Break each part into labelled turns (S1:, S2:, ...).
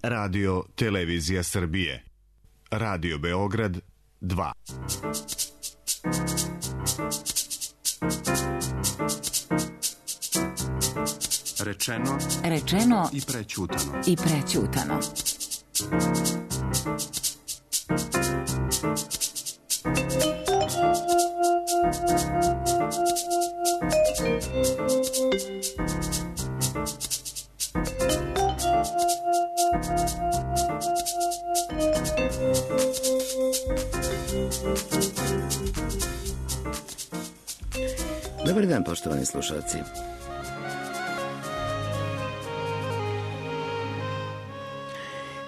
S1: Radio Televizija Srbije. Radio Beograd 2.
S2: Rečeno
S3: i prećutano.
S2: I prećutano.
S4: Dobar dan, poštovani slušalci.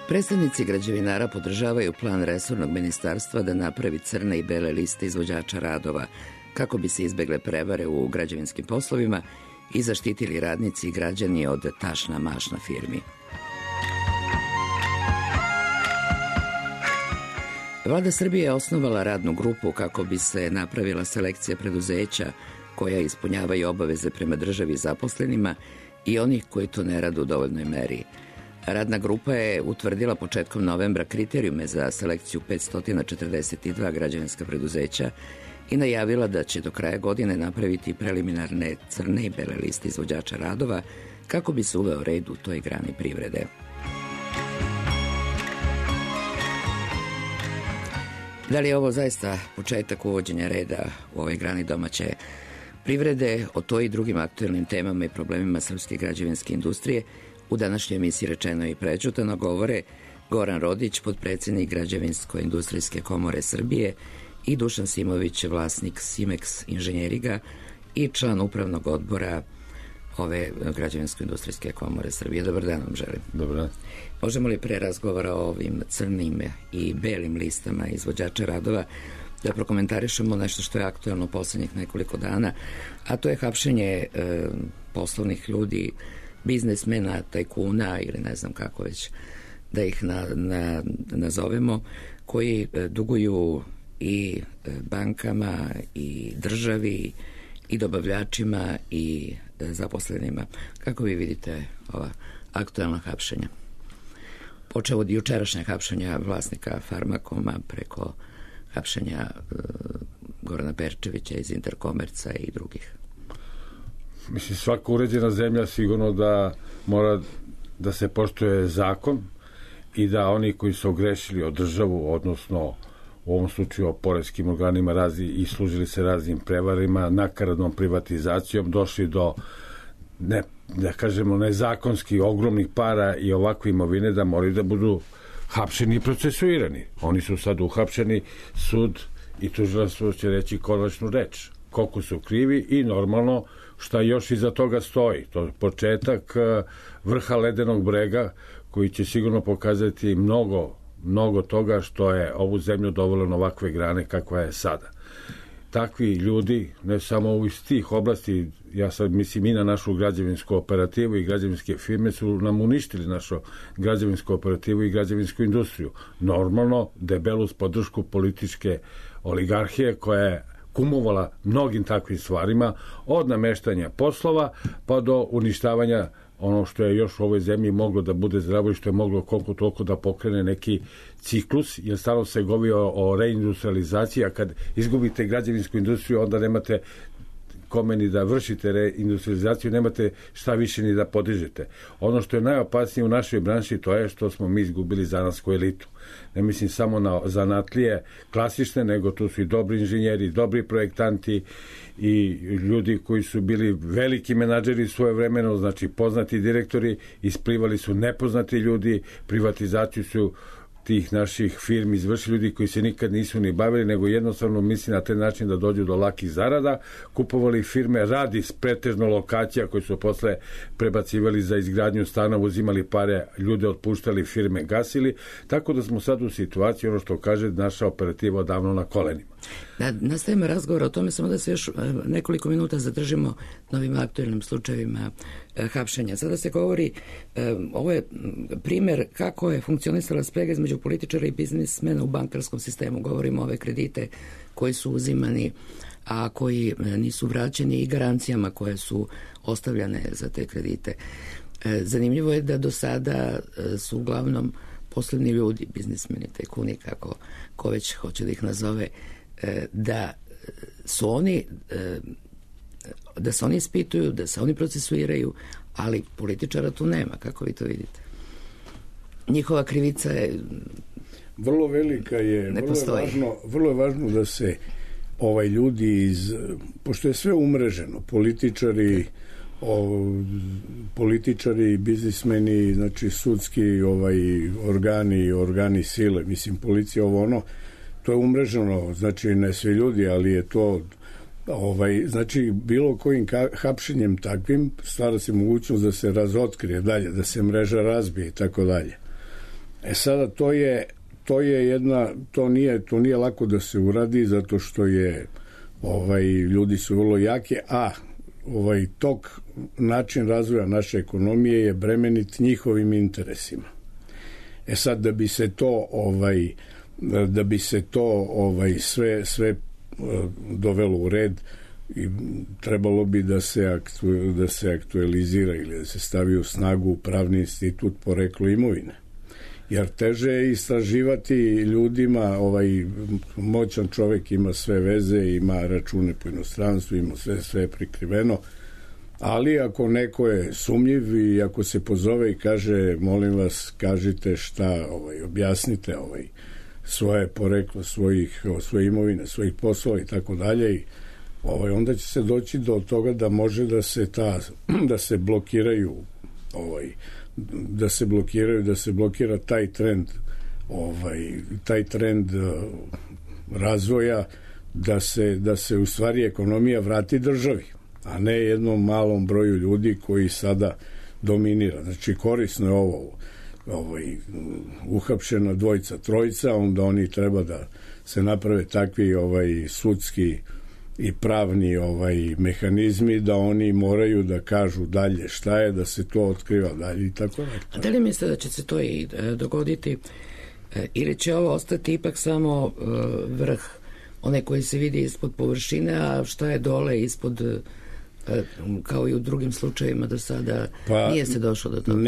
S4: Predstavnici građevinara podržavaju plan resornog ministarstva da napravi crne i bele liste izvođača radova kako bi se izbegle prevare u građevinskim poslovima i zaštitili radnici i građani od tašna mašna firmi. Vlada Srbije je osnovala radnu grupu kako bi se napravila selekcija preduzeća koja ispunjavaju obaveze prema državi i zaposlenima i onih koji to ne rade u dovoljnoj meri. Radna grupa je utvrdila početkom novembra kriterijume za selekciju 542 građevinska preduzeća i najavila da će do kraja godine napraviti preliminarne crne i bele liste izvođača radova kako bi se uveo red u toj grani privrede. Da li je ovo zaista početak uvođenja reda u ovoj grani domaće privrede? O to i drugim aktuelnim temama i problemima srpske građevinske industrije u današnjoj emisiji Rečeno i prećutano govore Goran Rodić, potpredsednik Građevinsko-industrijske komore Srbije, i Dušan Simović, vlasnik Simex inženjeriga i član upravnog odbora ove Građevinsko-industrijske komore Srbije. Dobar dan vam želim.
S5: Dobar dan.
S4: Možemo li pre razgovora o ovim crnim i belim listama izvođača radova da prokomentarišemo nešto što je aktuelno poslednjih nekoliko dana, a to je hapšenje poslovnih ljudi, biznismena, tajkuna ili ne znam kako već da ih nazovemo, koji duguju i bankama i državi i dobavljačima i zaposlenima. Kako vi vidite ova aktuelna hapšenja? Počeo od jučerašnjeg hapšenja vlasnika Farmakoma preko hapšenja Gorana Perčevića iz Interkomerca i drugih.
S5: Mislim, svaka uređena zemlja sigurno da mora da se poštuje zakon i da oni koji su ogrešili o državu, odnosno u ovom slučaju o poreskim organima i služili se raznim prevarima, nakaradnom privatizacijom, došli do da kažemo nezakonskih ogromnih para i ovakve imovine, da moraju da budu hapšeni i procesuirani. Oni su sad uhapšeni, sud i tužilaštvo će reći konačnu reč. Koliko su krivi i normalno šta još iza toga stoji. To je početak vrha ledenog brega koji će sigurno pokazati mnogo toga što je ovu zemlju dovelo na ovakve grane kakva je sada. Takvi ljudi, ne samo iz tih oblasti, ja sad mislim i na našu građevinsku operativu i građevinske firme su nam uništili našu građevinsku operativu i građevinsku industriju. Normalno, debelu podršku političke oligarhije koja je kumovala mnogim takvim stvarima, od nameštanja poslova pa do uništavanja ono što je još u ovoj zemlji moglo da bude zdravo i što je moglo koliko toliko da pokrene neki ciklus, jer stalno se govori o reindustrializaciji, a kad izgubite građevinsku industriju, onda nemate kome ni da vršite reindustrializaciju, nemate šta više ni da podižete. Ono što je najopasnije u našoj branši, to je što smo mi izgubili zanatsku elitu. Ne mislim samo na zanatlije klasične, nego tu su i dobri inženjeri, dobri projektanti i ljudi koji su bili veliki menadžeri svoje vremeno, znači poznati direktori, isplivali su nepoznati ljudi, privatizaciju su tih naših firmi izvršili ljudi koji se nikad nisu ni bavili, nego jednostavno misli na taj način da dođu do lakih zarada, kupovali firme radi pretežno lokacija koje su posle prebacivali za izgradnju stanova, uzimali pare, ljude otpuštali, firme gasili, tako da smo sad u situaciji, ono što kaže, naša operativa odavno na kolenima.
S4: Da nastavimo razgovor o tome, samo da se još nekoliko minuta zadržimo na ovim aktuelnim slučajevima hapšenja. Sada se govori, ovo je primer kako je funkcionisala sprega između političara i biznismena u bankarskom sistemu. Govorimo o ove kredite koji su uzimani, a koji nisu vraćeni, i garancijama koje su ostavljane za te kredite. Zanimljivo je da do sada su uglavnom poslovni ljudi, biznismeni, tajkuni, kako ko već hoće da ih nazove, da su oni da se oni ispituju, da se oni procesuiraju, ali političara tu nema. Kako vi to vidite? Njihova krivica je
S2: vrlo velika je, vrlo je važno da se ljudi pošto je sve umreženo, političari, biznismeni, znači sudski organi sile, mislim policija, to je umreženo, znači ne svi ljudi, ali je to znači bilo kojim hapšenjem takvim stvara se mogućnost da se razotkrije dalje, da se mreža razbije i tako dalje. Sada to nije lako da se uradi zato što je ljudi su vrlo jake, a način razvoja naše ekonomije je bremenit njihovim interesima. Sad da bi se to sve dovelo u red, i trebalo bi da se aktualizira ili da se stavi u snagu pravni institut poreklo imovine. Jer teže je istraživati ljudima, moćan čovjek ima sve veze, ima račune po inostranstvu, ima sve prikriveno, ali ako neko je sumnjiv i ako se pozove i kaže, molim vas, kažite šta, objasnite svoje poreklo, svoje imovine, svojih poslova i tako dalje, i onda će se doći do toga da može da se blokiraju da se blokira taj trend razvoja, da se u stvari ekonomija vrati državi, a ne jednom malom broju ljudi koji sada dominira. Znači korisno je ovo uhapšena dvojica, trojica, onda oni treba da se naprave takvi sudski i pravni mehanizmi da oni moraju da kažu dalje šta je, da se to otkriva dalje i tako dalje.
S4: A da li mislite da će se to i dogoditi ili će ovo ostati ipak samo vrh, onaj koji se vidi ispod površine, a šta je dole ispod, kao i u drugim slučajevima do sada, nije se došlo do toga?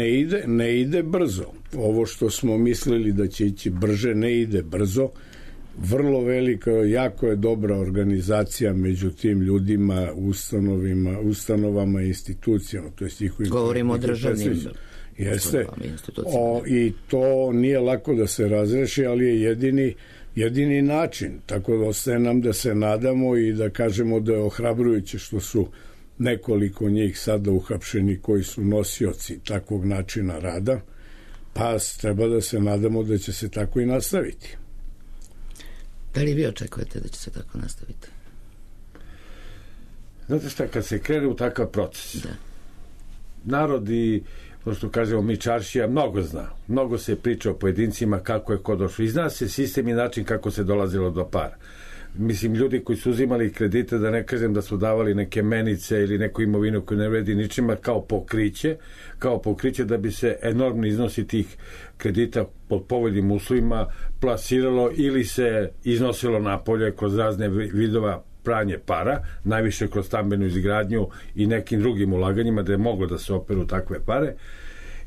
S2: Ne ide brzo. Ovo što smo mislili da će ići brže, ne ide brzo. Vrlo velika, jako je dobra organizacija među tim ljudima, ustanovama i institucijama.
S4: Govorimo o državnim
S2: institucijama. I to nije lako da se razreši, ali je jedini način. Tako da ostaje nam da se nadamo i da kažemo da je ohrabrujuće što su nekoliko njih sada uhapšeni koji su nosioci takvog načina rada, pa treba da se nadamo da će se tako i nastaviti.
S4: Da li vi očekujete da će se tako nastaviti?
S5: Znate šta, kad se krene u takav proces, narod i, što kažemo mi, čaršija, mnogo zna. Mnogo se priča o pojedincima, kako je ko došlo. I zna se sistem i način kako se dolazilo do para. Mislim, ljudi koji su uzimali kredite, da ne kažem da su davali neke menice ili neku imovinu koju ne vredi ničima, kao pokriće da bi se enormni iznosi tih kredita pod povoljnim uslovima plasiralo ili se iznosilo napolje kroz razne vidova pranje para, najviše kroz stambenu izgradnju i nekim drugim ulaganjima da je moglo da se operu takve pare.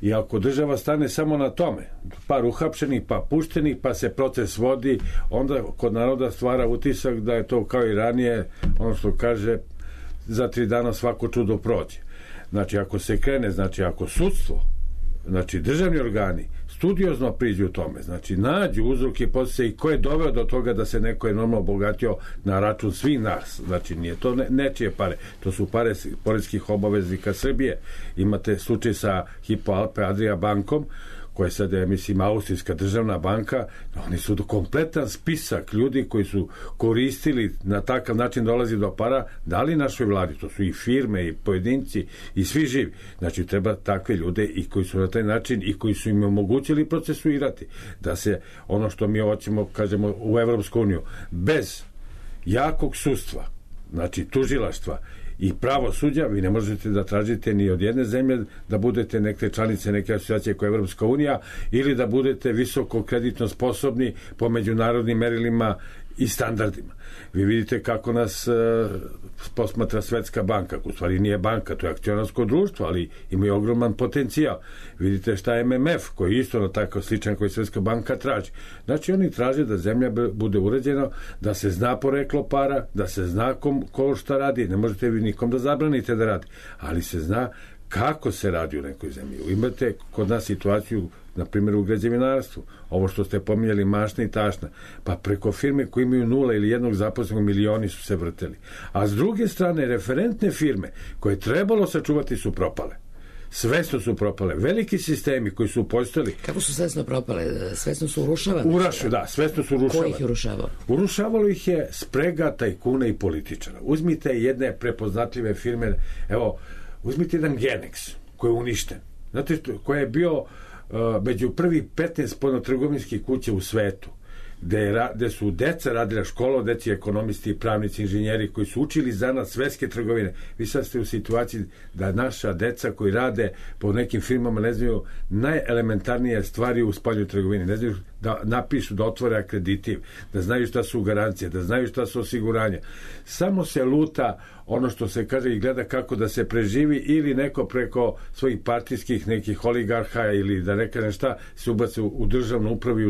S5: I ako država stane samo na tome, par uhapšenih, pa puštenih, pa se proces vodi, onda kod naroda stvara utisak da je to kao i ranije, ono što kaže, za 3 dana svako čudo prođe. Znači, ako se krene, znači, ako sudstvo, znači, državni organi, studiozno priđu u tome, znači, nađu uzroke i posljedice i ko je doveo do toga da se neko enormno obogatio na račun svih nas, znači, nije to nečije pare, to su pare poreskih obaveznika Srbije. Imate slučaj sa Hypo Alpe Adria bankom, koja sad je, mislim, austrijska državna banka, oni su kompletan spisak ljudi koji su koristili na takav način dolazi do para, dali našoj vladi, to su i firme i pojedinci i svi živi. Znači, treba takve ljude i koji su na taj način i koji su im omogućili procesuirati, da se ono što mi hoćemo, kažemo, u Evropsku uniju, bez jakog sudstva, znači tužilaštva i pravosuđa, vi ne možete da tražite ni od jedne zemlje da budete neke članice neke asocijacije koja je Evropska unija ili da budete visoko kreditno sposobni po međunarodnim merilima i standardima. Vi vidite kako nas posmatra Svetska banka, u stvari nije banka, to je akcionarsko društvo, ali ima ogroman potencijal. Vidite šta je MMF, koji je isto na tako sličan koji Svetska banka traži. Znači oni traže da zemlja bude uređena, da se zna poreklo para, da se zna ko šta radi, ne možete vi nikom da zabranite da radi, ali se zna kako se radi u nekoj zemlji. Imate kod nas situaciju, na primjer u građevinarstvu, ovo što ste pominjali, mašna i tašna, pa preko firme koji imaju 0 ili 1 zaposlenog milioni su se vrteli. A s druge strane, referentne firme koje trebalo sačuvati su propale. Svesno su propale. Veliki sistemi koji su postojali...
S4: Kako su svesno propale? Svesno su urušavane?
S5: Da, svesno su urušavane.
S4: Ko ih je urušavao?
S5: Urušavalo ih je sprega tajkuna i političara. Uzmite jedne prepoznatljive firme, evo, uzmite jedan Genex koji je uništen. Znate što, koji je bio među prvih 15 spoljnotrgovinskih kuća u svetu, gde su deca radila školu, deci ekonomisti, pravnici, inženjeri koji su učili za nas svetske trgovine. Vi sad ste u situaciji da naša deca koji rade po nekim firmama ne znaju najelementarnije stvari u spoljnoj trgovini, ne znaju da napišu, da otvore akreditiv, da znaju šta su garancije, da znaju šta su osiguranja. Samo se luta ono što se kaže i gleda kako da se preživi, ili neko preko svojih partijskih nekih oligarha ili da ne kažem šta se ubaci u državnu upravu i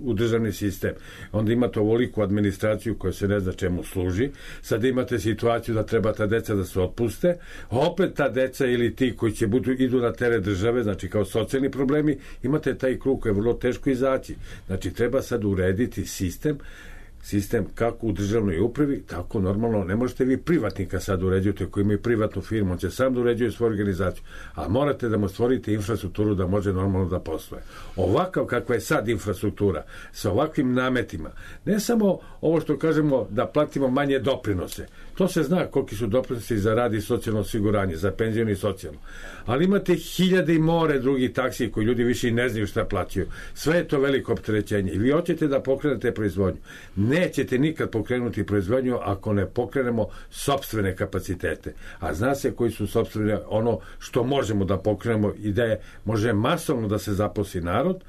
S5: u državni sistem. Onda imate ovoliku administraciju koja se ne zna čemu služi. Sad imate situaciju da treba ta deca da se otpuste, a opet ta deca ili ti koji će idu na teret države, znači kao socijalni problemi, imate taj krug koji je vrlo teško izaći. Znači treba sad urediti sistem kako u državnoj upravi, tako normalno ne možete vi privatnika sad uređujete koji imaju privatnu firmu, on će sam da uređuje svoju organizaciju, a morate da mu stvorite infrastrukturu da može normalno da posluje. Ovakav kakva je sad infrastruktura, sa ovakvim nametima, ne samo ovo što kažemo da platimo manje doprinose, to se zna koliki su doprinosi za rad i socijalno osiguranje, za penzijno i socijalno, ali imate hiljade i more drugih taksi koji ljudi više i ne znaju šta plaćaju. Sve je to veliko opterećenje i vi hoćete da pokrenete proizvodnju. Nećete nikad pokrenuti proizvodnju ako ne pokrenemo sopstvene kapacitete. A zna se koji su sopstvene, ono što možemo da pokrenemo i da može masovno da se zaposli narod,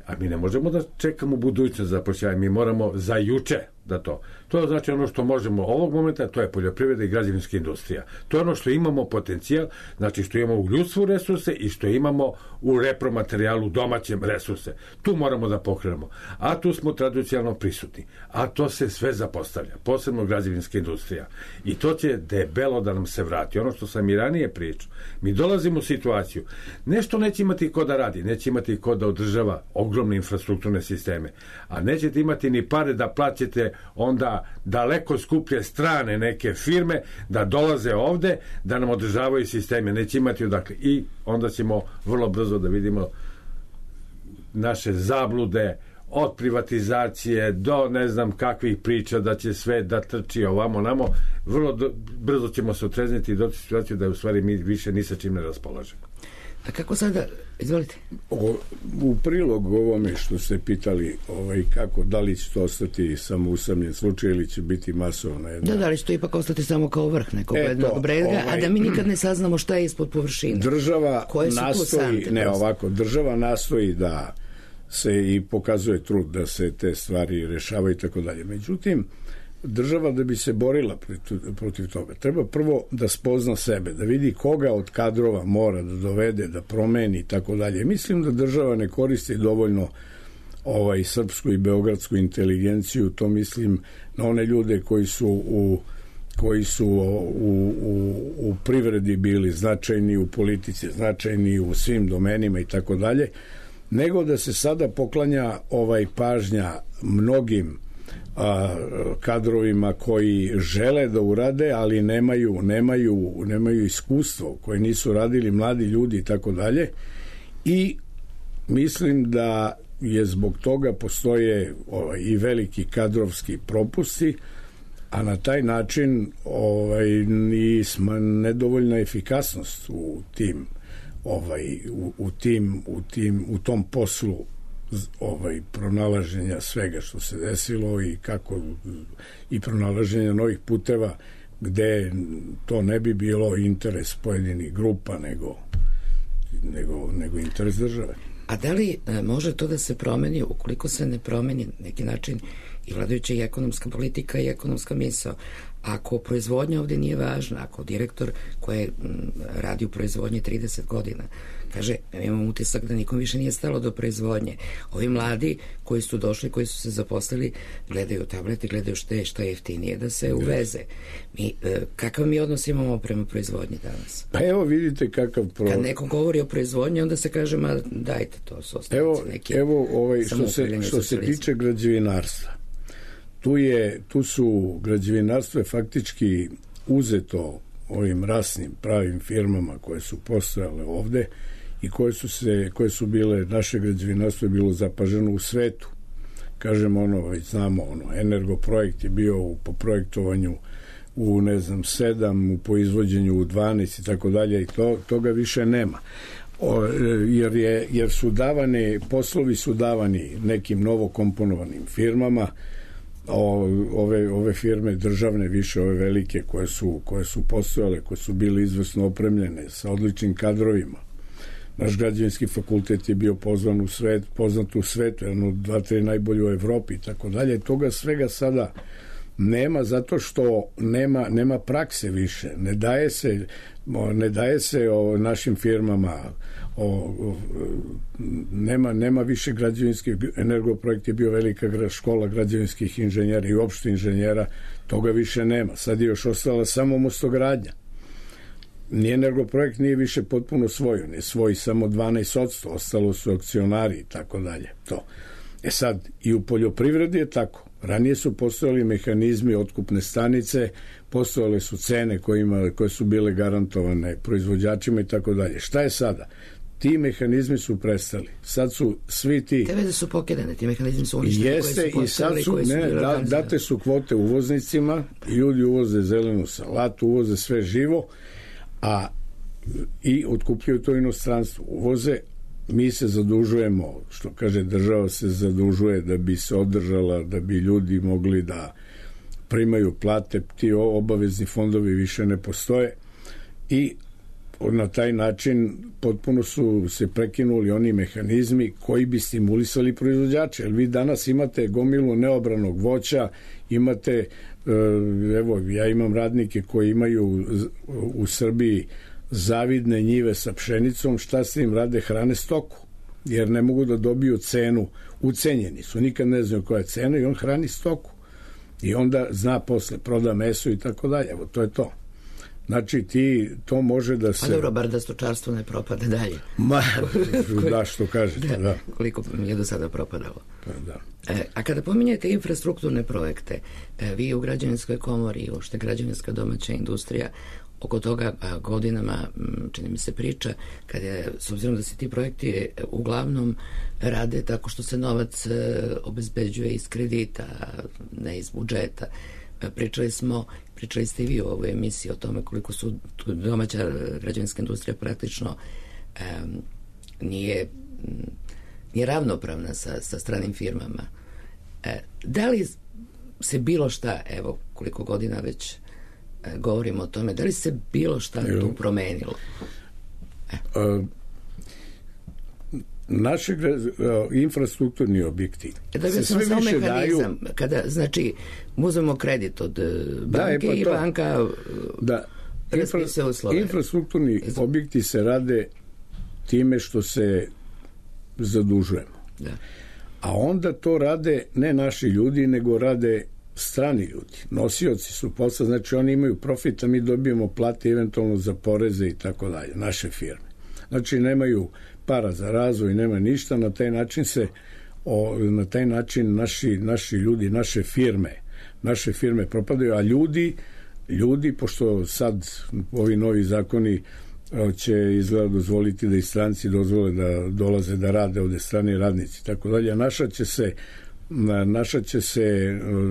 S5: a mi ne možemo da čekamo budućnost zapošljavanja, mi moramo za juče da to. To je znači ono što možemo ovog momenta, to je poljoprivreda i građevinska industrija. To je ono što imamo potencijal, znači što imamo u ljudstvu resurse i što imamo u repromaterijalu domaćem resurse. Tu moramo da pokrenemo. A tu smo tradicionalno prisutni. A to se sve zapostavlja, posebno građevinska industrija. I to će debelo da nam se vrati. Ono što sam i ranije pričao. Mi dolazimo u situaciju. Nešto neće imati ko da radi, neće imati ko da održava ogromne infrastrukturne sisteme. A nećete imati ni pare da plaćate onda daleko skuplje strane neke firme da dolaze ovde, da nam održavaju sisteme. Neće imati odakle. I onda ćemo vrlo brzo da vidimo naše zablude od privatizacije do ne znam kakvih priča da će sve da trči ovamo namo. Vrlo brzo ćemo se otrezniti i doći u situaciju da u stvari mi više ni sa čim ne raspolažemo.
S4: A kako sada, izvolite?
S2: U prilog ovome što ste pitali, kako, da li će to ostati samo usamljen slučaj ili će biti masovna jedna...
S4: Da li će to ipak ostati samo kao vrh nekog jednog brega, a da mi nikad ne saznamo šta je ispod površine.
S2: Država nastoji da se i pokazuje trud da se te stvari rešavaju i tako dalje. Međutim, država da bi se borila protiv toga, treba prvo da spozna sebe, da vidi koga od kadrova mora da dovede, da promeni i tako dalje. Mislim da država ne koristi dovoljno srpsku i beogradsku inteligenciju, to mislim na one ljude koji su u privredi bili značajni, u politici značajni, u svim domenima i tako dalje, nego da se sada poklanja pažnja mnogim kadrovima koji žele da urade, ali nemaju iskustvo, koji nisu radili, mladi ljudi i tako dalje. I mislim da je zbog toga postoje i veliki kadrovski propusti, a na taj način i nedovoljna efikasnost u tom poslu pronalaženja svega što se desilo i pronalaženja novih puteva gde to ne bi bilo interes pojedinih grupa nego interes države.
S4: A da li može to da se promeni ukoliko se ne promeni neki način i vladajuća i ekonomska politika i ekonomska misao. Ako proizvodnja ovde nije važna, ako direktor koji radi u proizvodnji 30 godina kaže, imam utisak da nikom više nije stalo do proizvodnje. Ovi mladi koji su došli, koji su se zaposlili, gledaju tablete, gledaju šta je jeftinije da se uveze. Kakav mi odnos imamo prema proizvodnji danas?
S2: Pa evo vidite kakav
S4: Kad neko govori o proizvodnji, onda se kaže, ma dajte, to su ostavci neki.
S2: Evo što se tiče građevinarstva. Tu su građevinarstvo je faktički uzeto ovim rasnim pravim firmama koje su postojale ovde i koje su bile, naše građevinarstvo je bilo zapaženo u svetu. Kažem, već znamo, Energoprojekt je bio po projektovanju u 7, po izvođenju u 12 i tako dalje, i toga više nema. Jer su poslovi su davani nekim novokomponovanim firmama. Ove firme državne, više ove velike koje su postojale, koje su bile izvrsno opremljene sa odličnim kadrovima. Naš građevinski fakultet je bio poznat u svetu, jedno od 2-3 najbolje u Evropi i tako dalje. Toga svega sada nema, zato što nema prakse više. Ne daje se našim firmama, nema više građevinskih. Energoprojekt je bio velika škola građevinskih inženjera i uopšte inženjera, toga više nema. Sad je još ostala samo mostogradnja. Ni Energoprojekt nije više potpuno svoj, on je svoj samo 12%, ostalo su akcionari i tako dalje. Sad, i u poljoprivredi je tako. Ranije su postojali mehanizmi, otkupne stanice, postojale su cene koje su bile garantovane proizvođačima i tako dalje. Šta je sada? Ti mehanizmi su prestali. Sad su svi ti...
S4: Te veze su pokidane, ti mehanizmi su uništeni.
S2: Jeste, i sad su, date su kvote uvoznicima, ljudi uvoze zelenu salatu, uvoze sve živo, i otkupljuju to inostranstvo. Uvoze, mi se zadužujemo, što kaže država se zadužuje da bi se održala, da bi ljudi mogli da primaju plate, ti obavezni fondovi više ne postoje i na taj način potpuno su se prekinuli oni mehanizmi koji bi stimulisali proizvođače. Jer vi danas imate gomilu neobranog voća, imate, ja imam radnike koji imaju u Srbiji zavidne njive sa pšenicom, šta se im rade? Hrane stoku, jer ne mogu da dobiju cenu, ucenjeni su, nikad ne znaju koja je cena i on hrani stoku. I onda zna posle, proda meso i tako dalje. Evo, to je to. Znači, to može da se...
S4: A dobro, bar da stočarstvo ne propade dalje.
S2: Da, što kažete, da.
S4: Koliko je do sada propadalo.
S2: Da.
S4: A kada pominjete infrastrukturne projekte, vi u Građevinskoj komori, uopšte građevinska domaća industrija, oko toga godinama, čini mi se, priča, s obzirom da se ti projekti uglavnom rade tako što se novac obezbeđuje iz kredita, ne iz budžeta. Pričali ste i vi u ovoj emisiji o tome koliko su domaća građevinska industrija praktično nije ravnopravna sa stranim firmama. Da li se bilo šta, evo koliko godina već govorimo o tome, da li se bilo šta tu promenilo?
S2: Naši infrastrukturni objekti se sve više daju...
S4: Kada, znači, uzmemo kredit od banke i banka raspisuje uslove.
S2: Infrastrukturni objekti se rade time što se zadužujemo.
S4: Da.
S2: A onda to rade ne naši ljudi, nego rade strani ljudi. Nosioci su posla, znači oni imaju profit, a mi dobijemo plate eventualno za poreze i tako dalje, naše firme. Znači nemaju para za razvoj, nema ništa, na taj način naši ljudi, naše firme propadaju, a ljudi, pošto sad ovi novi zakoni će izgleda dozvoliti da i stranci dozvole da dolaze da rade ovde, strani radnici, tako dalje,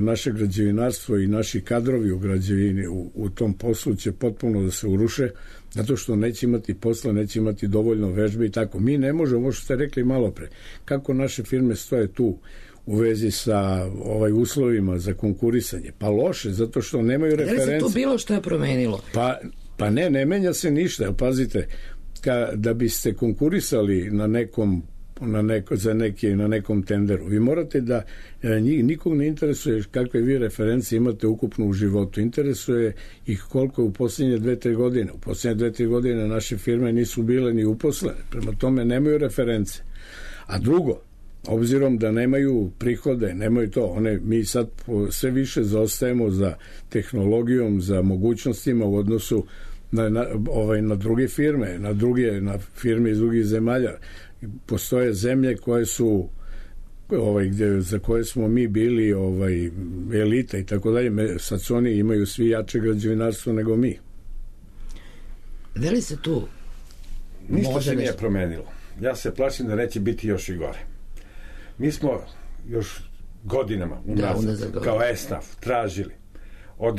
S2: naše građevinarstvo i naši kadrovi u građevini u tom poslu će potpuno da se uruše, zato što neće imati posla, neće imati dovoljno vežbe i tako. Mi ne možemo, ovo što ste rekli malo pre, kako naše firme stoje tu u vezi sa uslovima za konkurisanje. Pa loše, zato što nemaju reference.
S4: Da li se to bilo što je promenilo?
S2: Pa ne menja se ništa. Pazite, da biste konkurisali na nekom na nekom tenderu. Vi morate da nikog ne interesuje kakve vi referencije imate ukupno u životu. Interesuje ih koliko je u posljednje 2-3 godine. U posljednje 2-3 godine naše firme nisu bile ni uposlene. Prema tome nemaju reference. A drugo, obzirom da nemaju prihode, nemaju to, mi sad sve više zaostajemo za tehnologijom, za mogućnostima u odnosu na druge firme, na firme iz drugih zemalja. Postoje zemlje koje su za koje smo mi bili elita i tako dalje. Sad su oni imaju svi jače građevinarstvo nego mi.
S4: Da li se tu
S5: ništa se nije promenilo. Ja se plašim da neće biti još i gore. Mi smo još godinama unazad kao ESNAF tražili od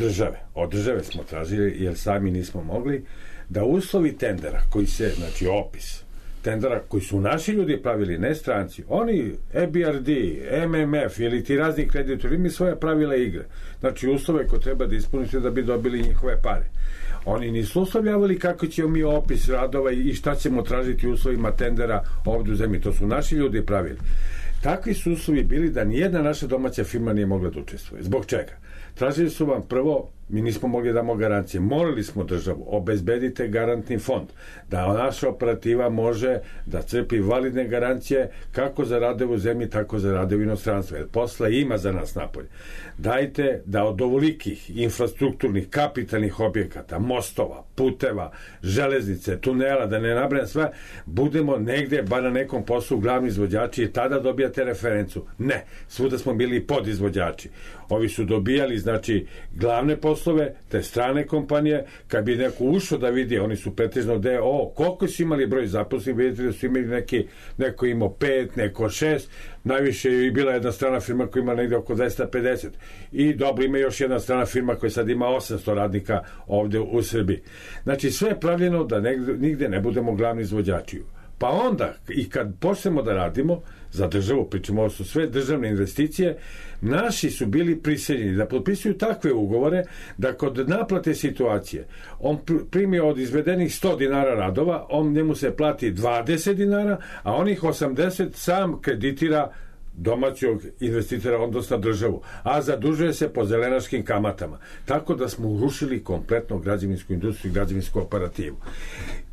S5: države smo tražili, jer sami nismo mogli, da uslovi tendera koji se, znači opis tendera koji su naši ljudi pravili, ne stranci, oni EBRD, MMF ili ti razni kreditori imaju svoje pravila igre, znači uslove koje treba da ispunite da bi dobili njihove pare. Oni nisu uslovljavali kako ćemo mi opis radova i šta ćemo tražiti u uslovima tendera ovdje u zemlji, to su naši ljudi pravili. Takvi su uslovi bili da nijedna naša domaća firma nije mogla da učestvuje. Zbog čega? Tražili su vam prvo, mi nismo mogli da damo garancije. Molili smo državu, obezbedite garantni fond, da naša operativa može da crpi validne garancije kako za radove u zemlji, tako za radove u inostranstvu. Jer posla ima za nas napolje. Dajte da od ovolikih infrastrukturnih, kapitalnih objekata, mostova, puteva, železnice, tunela, da ne nabrajam sve, budemo negde, bar na nekom poslu glavni izvođači i tada dobijate referencu. Ne, svuda smo bili podizvođači. Ovi su dobijali, znači, glavne poslove, te strane kompanije, kad bi neko ušao da vidi, oni su pretežno koliko su imali broj zaposlenih, vidite da su imali neko imao 5, neko 6, najviše je i bila jedna strana firma koja ima negde oko 250 i dobro, ima još jedna strana firma koja sad ima 800 radnika ovde u Srbiji. Znači sve je pravljeno da nigde ne budemo glavni izvođači. Pa onda, i kad počnemo da radimo za državu, pričamo, ovo su sve državne investicije, naši su bili prisiljeni da potpisuju takve ugovore da kod naplate situacije on primi od izvedenih 100 dinara radova, njemu se plati 20 dinara, a onih 80 sam kreditira domaćog investitora, odnosno državu, a zadužuje se po zelenaškim kamatama. Tako da smo urušili kompletno građevinsku industriju i građevinsku operativu.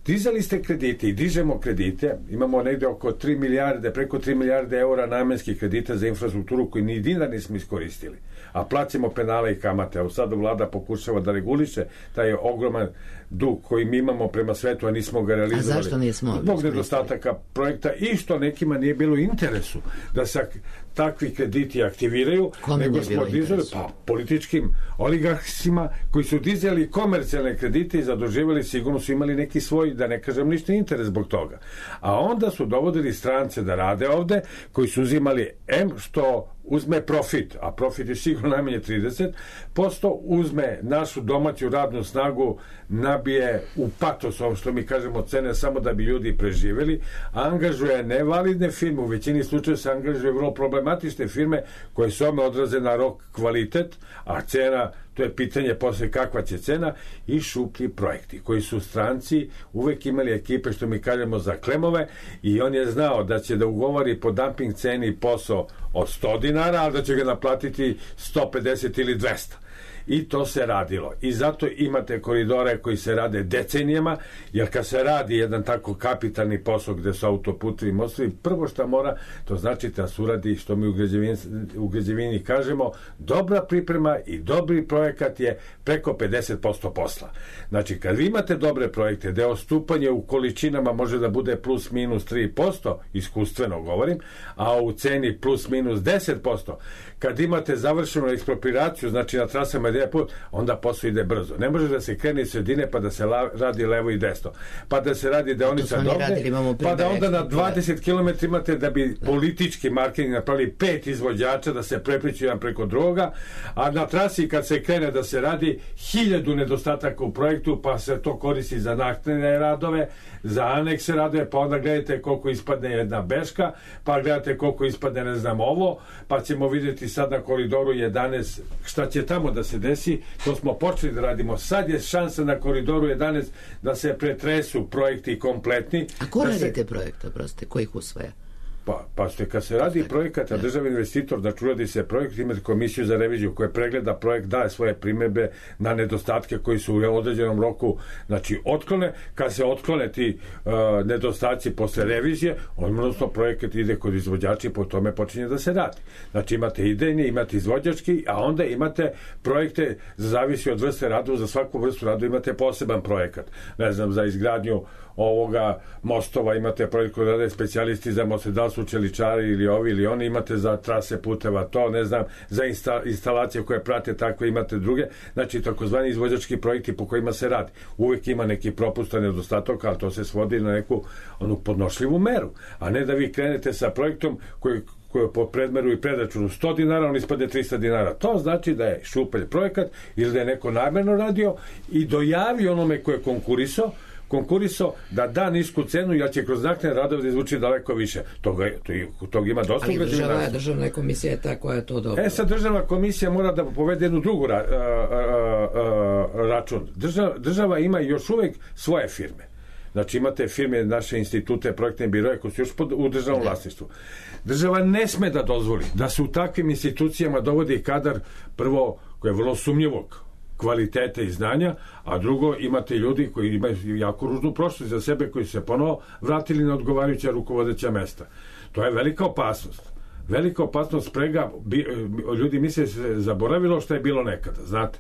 S5: Dizali ste kredite i dižemo kredite, imamo negde oko 3 milijarde, preko 3 milijarde eura namenskih kredita za infrastrukturu koji ni dinar nismo iskoristili, a plaćamo penale i kamate. Evo sad vlada pokušava da reguliše taj ogroman dug koji mi imamo prema svetu, a nismo ga realizovali.
S4: A zašto nismo?
S5: Zbog nedostataka projekta i što nekima nije bilo interesu da se takvi krediti aktiviraju, nego smo dizali političkim oligarhima koji su dizali komercijalne kredite i zaduživali, sigurno su imali neki svoj, da ne kažem ništa, interes zbog toga. A onda su dovodili strance da rade ovde, koji su uzimali što uzme profit, a profit je sigurno najmanje 30%, uzme našu domaću radnu snagu, nabije u patos, ovo što mi kažemo, cene samo da bi ljudi preživeli, a angažuje nevalidne firme, u većini slučaja se angažuje vrlo problematične firme koje se odraze na rok kvalitet, a cena, to je pitanje posle kakva će cena, i šuplji projekti koji su stranci uvek imali ekipe, što mi kažemo, za klemove, i on je znao da će da ugovori po dumping ceni posao od 100 dinara, ali da će ga naplatiti 150 ili 200. I to se radilo. I zato imate koridore koji se rade decenijama, jer kad se radi jedan tako kapitalni posao gde su autoputevi i mostovi, prvo što mora, to znači da se uradi, što mi u građevini kažemo, dobra priprema i dobri projekat je preko 50% posla. Znači, kad vi imate dobre projekte, gde odstupanje u količinama može da bude plus minus 3%, iskustveno govorim, a u ceni plus minus 10%, kad imate završenu ekspropriraciju, znači na trasama onda posao ide brzo. Ne može da se krene iz sredine pa da se radi levo i desno. Pa da se radi deonica dovde, pa da onda na 20 km imate da bi politički marketing napravili 5 izvođača da se prepliču jedan preko drugoga, a na trasi kad se krene da se radi 1000 nedostataka u projektu, pa se to koristi za naknadne radove, za anekse radove, pa onda gledajte koliko ispadne jedna beška, pa gledate koliko ispadne ne znam ovo, pa ćemo vidjeti sad na koridoru 11 šta će tamo da se desi. To smo počeli da radimo. Sad je šansa na koridoru 11 da se pretresu projekti kompletni.
S4: A ko radi te projekte, proste? Ko ih usvaja?
S5: Pa ste, kad se radi projekat, a državni investitor, znači uradi se projekt, imate komisiju za reviziju koja pregleda projekt, daje svoje primedbe na nedostatke koji su u određenom roku, znači otklone. Kad se otklone ti nedostaci posle revizije, odnosno projekat ide kod izvođača i po tome počinje da se radi. Znači imate idejni, imate izvođački, a onda imate projekte, zavisi od vrste radu, za svaku vrstu radu imate poseban projekat. Ne znam, za izgradnju ovoga mostova imate projekt koji rade specijalisti za moste, da li su čeličari ili ovi ili oni, imate za trase puteva to, ne znam, za instalacije koje prate takve imate druge, znači takozvani izvođački projekti po kojima se radi. Uvijek ima neki propustan nedostatak, ali to se svodi na neku onu podnošljivu meru, a ne da vi krenete sa projektom koji po predmeru i predračunu 100 dinara, on ispade 300 dinara. To znači da je šupelj projekat ili da je neko namerno radio i dojavi onome ko je konkurisao da da nisku cenu, jer će kroz naknadne radove da izvuči daleko više. Toga ima dosta.
S4: Ali državna komisija je ta koja je to dobro.
S5: Sad državna komisija mora da povede jednu drugu račun. Država ima još uvek svoje firme. Znači imate firme, naše institute, projektne biroje koji su još u državnom vlasništvu. Država ne sme da dozvoli da se u takvim institucijama dovodi kadar, prvo, koji je vrlo sumnjivog kvalitete i znanja, a drugo, imate ljudi koji imaju jako ružnu prošlost za sebe, koji se ponovo vratili na odgovarajuća rukovodeća mesta. To je velika opasnost. Velika opasnost sprega, ljudi misle se zaboravilo što je bilo nekada, znate.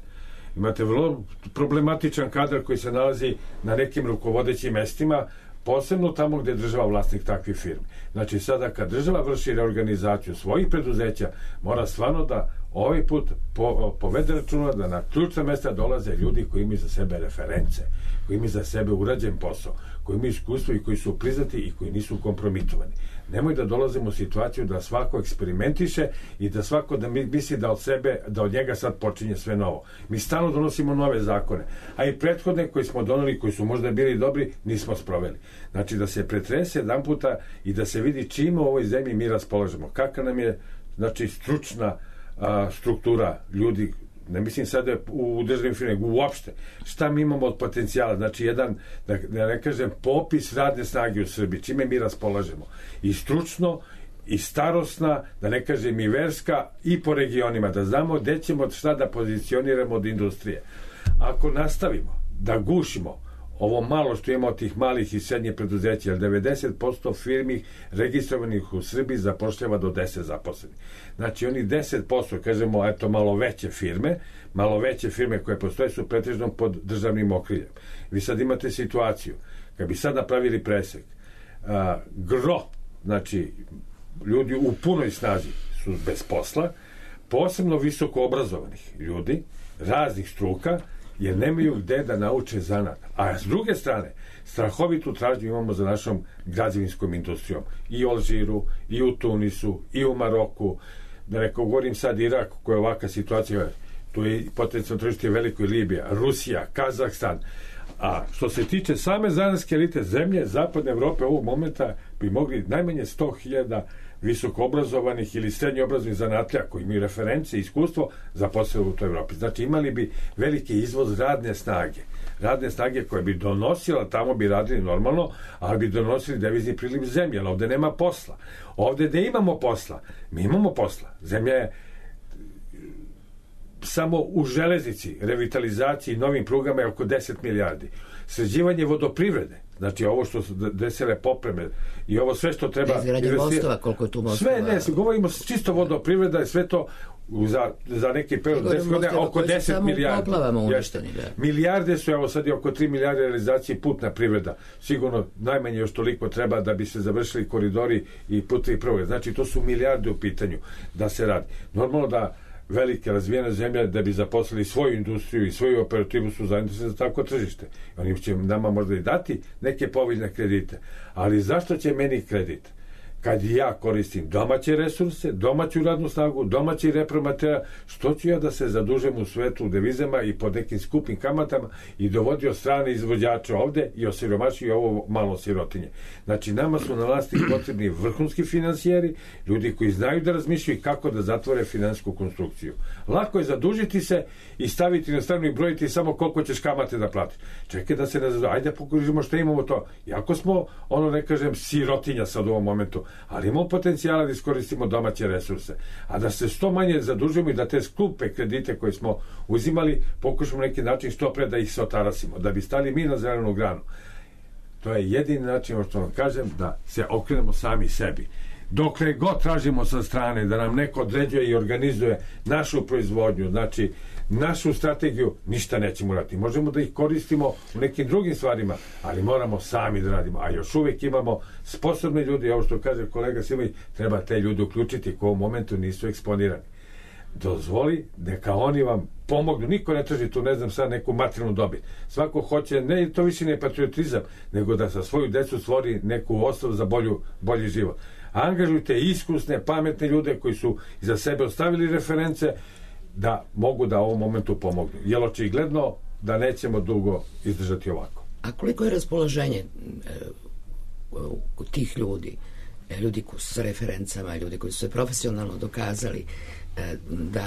S5: Imate vrlo problematičan kadar koji se nalazi na nekim rukovodećim mestima, posebno tamo gde je država vlasnik takvih firmi. Znači sada kad država vrši reorganizaciju svojih preduzeća, mora stvarno da ovaj put povede računa da na ključna mesta dolaze ljudi koji imaju za sebe reference, koji imaju za sebe urađen posao, koji imaju iskustvo i koji su priznati i koji nisu kompromitovani. Nemoj da dolazimo u situaciju da svako eksperimentiše i da svako da misli da od sebe, da od njega sad počinje sve novo. Mi stalno donosimo nove zakone, a i prethodne koji smo doneli, koji su možda bili dobri, nismo sproveli. Znači da se pretrese jedan puta i da se vidi čime u ovoj zemlji mi raspolažemo. Kakva nam je, znači, stručna struktura ljudi, ne mislim sada u državnim firmama, uopšte, šta mi imamo od potencijala, znači jedan, da ne kažem, popis radne snage u Srbiji, čime mi raspolažemo, i stručno, i starosna, da ne kažem i verska, i po regionima, da znamo gde ćemo šta da pozicioniramo od industrije. Ako nastavimo da gušimo ovo malo što imamo od tih malih i srednjih preduzeća, jer 90% firmi registrovanih u Srbiji zapošljava do 10 zaposlenih. Znači oni 10%, kažemo, eto, malo veće firme koje postoje su pretežno pod državnim okriljem. Vi sad imate situaciju, kad bi sad napravili presek, znači ljudi u punoj snazi su bez posla, posebno visoko obrazovanih ljudi, raznih struka, jer nemaju gde da nauče zanat. A s druge strane, strahovitu tražnju imamo za našom građevinskom industrijom. I u Alžiru, i u Tunisu, i u Maroku. Da ne govorim sad Irak, koja je ovakva situacija, tu je potencijalno tržište veliko, i Libija, Rusija, Kazahstan. A što se tiče same zanatske elite, zemlje zapadne Evrope ovog momenta bi mogli najmanje 100.000 visoko obrazovanih ili srednje obrazovanih zanatlija koji imaju reference i iskustvo zaposlili u toj Evropi. Znači imali bi veliki izvoz radne snage koja bi donosila, tamo bi radili normalno, ali bi donosili devizni priliv zemlje, ali ovde nema posla. Ovde gde imamo posla, mi imamo posla. Zemlja je samo u železnici, revitalizaciji, novim prugama je oko 10 milijardi. Sređivanje vodoprivrede, znači ovo što su desile popreme i ovo sve što treba...
S4: Izgradnje mostova, koliko je tu mostova?
S5: Sve, govorimo čisto vodoprivreda i sve to za neki period 10 godina oko 10 milijardi. Milijarde su, evo sad je oko 3 milijarde realizacije putna privreda. Sigurno najmanje još toliko treba da bi se završili koridori i putevi prve. Znači to su milijarde u pitanju da se radi. Normalno da velike razvijene zemlje da bi zaposlili svoju industriju i svoju operativu su zainteresovani za tako tržište. Oni će nama možda i dati neke povoljne kredite. Ali zašto će meni kredit? Kad ja koristim domaće resurse, domaću radnu snagu, domaći repromaterijal, što ću ja da se zadužem u svetu u devizama i pod nekim skupim kamatama i dovodio strane izvođače ovde i osiromašio i ovo malo sirotinje. Znači, nama su na vlasti potrebni vrhunski finansijeri, ljudi koji znaju da razmišljaju kako da zatvore finansijsku konstrukciju. Lako je zadužiti se i staviti na stranu i brojiti samo koliko ćeš kamate da platiš. Čekaj da se ne zadužimo, ajde pokužimo što imamo to. Jako smo, ne kažem, sirotinja sad u ovom momentu, ali imamo potencijala da iskoristimo domaće resurse, a da se što manje zadužimo i da te skupe kredite koje smo uzimali pokušamo neki način što pre da ih se otarasimo, da bi stali mi na zelenu granu. To je jedini način, što vam kažem, da se okrenemo sami sebi. Dokle god tražimo sa strane da nam neko određuje i organizuje našu proizvodnju, znači našu strategiju, ništa nećemo uraditi. Možemo da ih koristimo u nekim drugim stvarima, ali moramo sami da radimo. A još uvijek imamo sposobne ljudi, ovo što kaže kolega Simović, treba te ljudi uključiti koji u momentu nisu eksponirani. Dozvoli, neka oni vam pomognu. Niko ne traži tu, ne znam sad, neku materijalnu dobit. Svako hoće, ne, to više ne patriotizam, nego da sa svoju decu stvori neku osnovu za bolji život. Angažujte iskusne, pametne ljude koji su iza sebe ostavili reference da mogu da u ovom momentu pomognu. Jer očigledno da nećemo dugo izdržati ovako.
S4: A koliko je raspoloženje tih ljudi sa referencama, ljudi koji su se profesionalno dokazali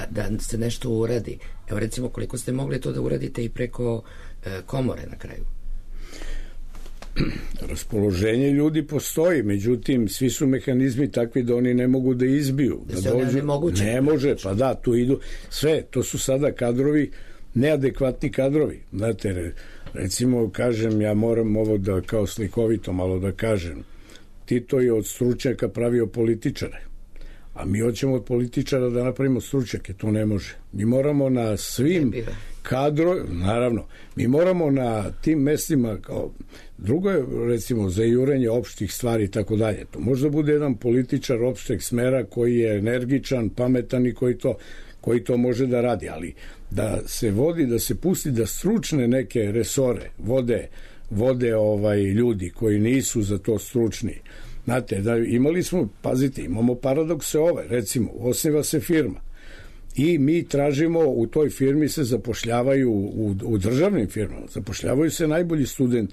S4: da se nešto uradi? Evo recimo, koliko ste mogli to da uradite i preko komore na kraju?
S2: Raspoloženje ljudi postoji, međutim svi su mehanizmi takvi da oni ne mogu da izbiju, da dođu, ne može, pa da, tu idu sve, to su sada kadrovi, neadekvatni kadrovi. Znate, recimo, kažem, ja moram ovo da kao slikovito malo da kažem, Tito je od stručnjaka pravio političare, a mi hoćemo od političara da napravimo stručnjake, to ne može. Mi moramo na svim naravno, mi moramo na tim mestima, kao drugo je recimo za jurenje opštih stvari i tako dalje. To možda bude jedan političar opšteg smera koji je energičan, pametan i koji to može da radi, ali da se vodi, da se pusti da stručne neke resore vode ljudi koji nisu za to stručni. Znate, da imali smo, pazite, imamo paradokse recimo, osniva se firma i mi tražimo, u toj firmi se zapošljavaju, u državnim firmama, zapošljavaju se najbolji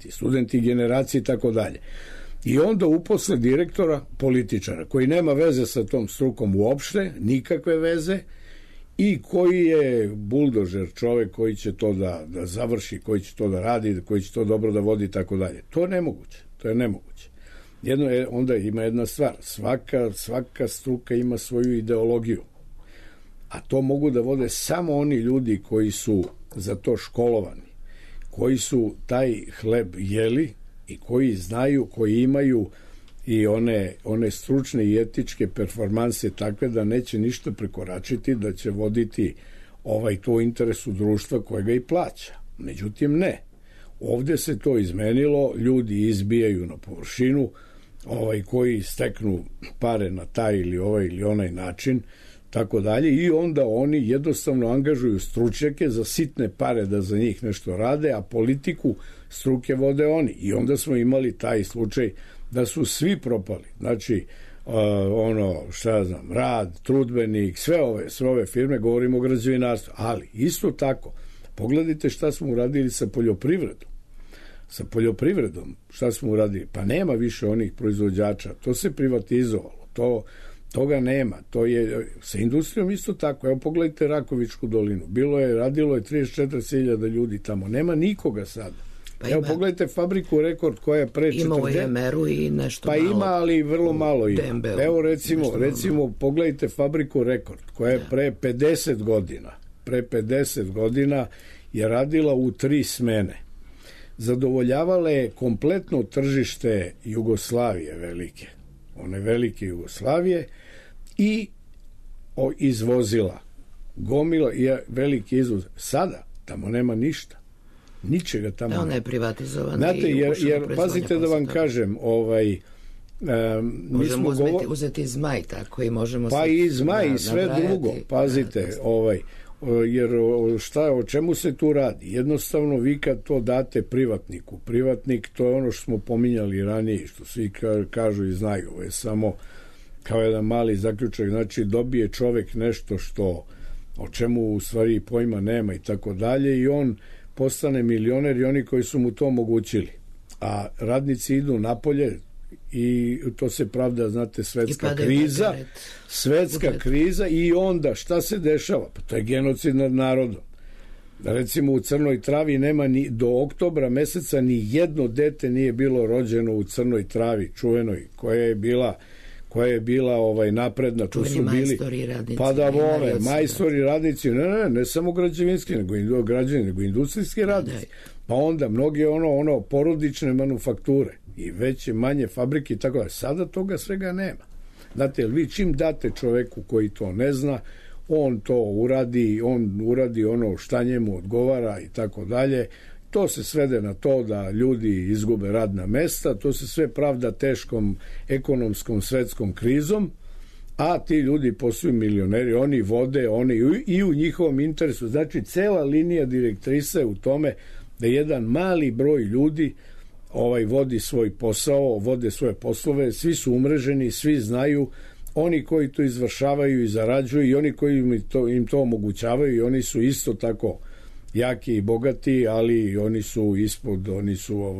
S2: studenti generacije i tako dalje. I onda uposle direktora, političara, koji nema veze sa tom strukom uopšte, nikakve veze, i koji je buldožer, čovek koji će to da završi, koji će to da radi, koji će to dobro da vodi i tako dalje. To je nemoguće. Onda ima jedna stvar, svaka struka ima svoju ideologiju, a to mogu da vode samo oni ljudi koji su za to školovani, koji su taj hleb jeli i koji znaju, koji imaju i one stručne i etičke performanse takve da neće ništa prekoračiti, da će voditi to interesu društva koje ga i plaća. Međutim, ne. Ovde se to izmenilo, ljudi izbijaju na površinu, koji steknu pare na taj ili ili onaj način, tako dalje, i onda oni jednostavno angažuju stručnjake za sitne pare da za njih nešto rade, a politiku struke vode oni. I onda smo imali taj slučaj da su svi propali. Znači, Rad, Trudbenik, sve ove firme, govorimo o građevinarstvu, ali isto tako, pogledajte šta smo uradili sa poljoprivredom. Sa poljoprivredom, šta smo uradili? Pa nema više onih proizvođača, to se privatizovalo, toga nema, to je sa industrijom isto tako. Evo pogledajte Rakovičku dolinu, radilo je 34.000 ljudi tamo, nema nikoga sada. Evo pogledajte fabriku Rekord koja je pre 40...
S4: Ima u Jemeru i nešto malo.
S2: Pa ima, ali vrlo malo ima. Evo recimo pogledajte fabriku Rekord koja je pre 50 godina je radila u 3 smene. Zadovoljavala je kompletno tržište Jugoslavije velike, one velike Jugoslavije, i izvozila gomila je veliki izvoz. Sada tamo nema ništa, ničega tamo.
S4: Ona je privatizovana.
S2: Znate, jer pazite da vam kažem,
S4: možemo uzeti Zmaj, tako i možemo...
S2: Pa i Zmaj i sve drugo, pazite, jer o čemu se tu radi? Jednostavno vi kad to date privatniku, privatnik, to je ono što smo pominjali ranije, što svi kažu i znaju, ovo je samo kao jedan mali zaključak, znači dobije čovek nešto o čemu u stvari pojma nema i tako dalje, i on postane milioner i oni koji su mu to omogućili, a radnici idu napolje i to se pravda, znate, svetska kriza, i onda šta se dešava? Pa to je genocid nad narodom. Recimo u Crnoj Travi nema do oktobra meseca ni jedno dete nije bilo rođeno u Crnoj Travi čuvenoj, koja koja je bila napredna, tu su bili pa da vole, majstori, radnici, ne samo građevinski, nego industrijski radnici, pa onda mnogi porodične manufakture i veće, manje fabrike i tako da. Sada toga svega nema. Znate, vi čim date čoveku koji to ne zna, on to uradi, ono šta njemu odgovara i tako dalje. To se svede na to da ljudi izgube radna mesta, to se sve pravda teškom ekonomskom svetskom krizom, a ti ljudi postaju milioneri, oni vode, oni i u njihovom interesu. Znači, cela linija direktrise u tome da jedan mali broj ljudi vodi svoj posao, vode svoje poslove, svi su umreženi, svi znaju, oni koji to izvršavaju i zarađuju i oni koji im to omogućavaju i oni su isto tako jaki i bogati, ali oni su ispod, oni su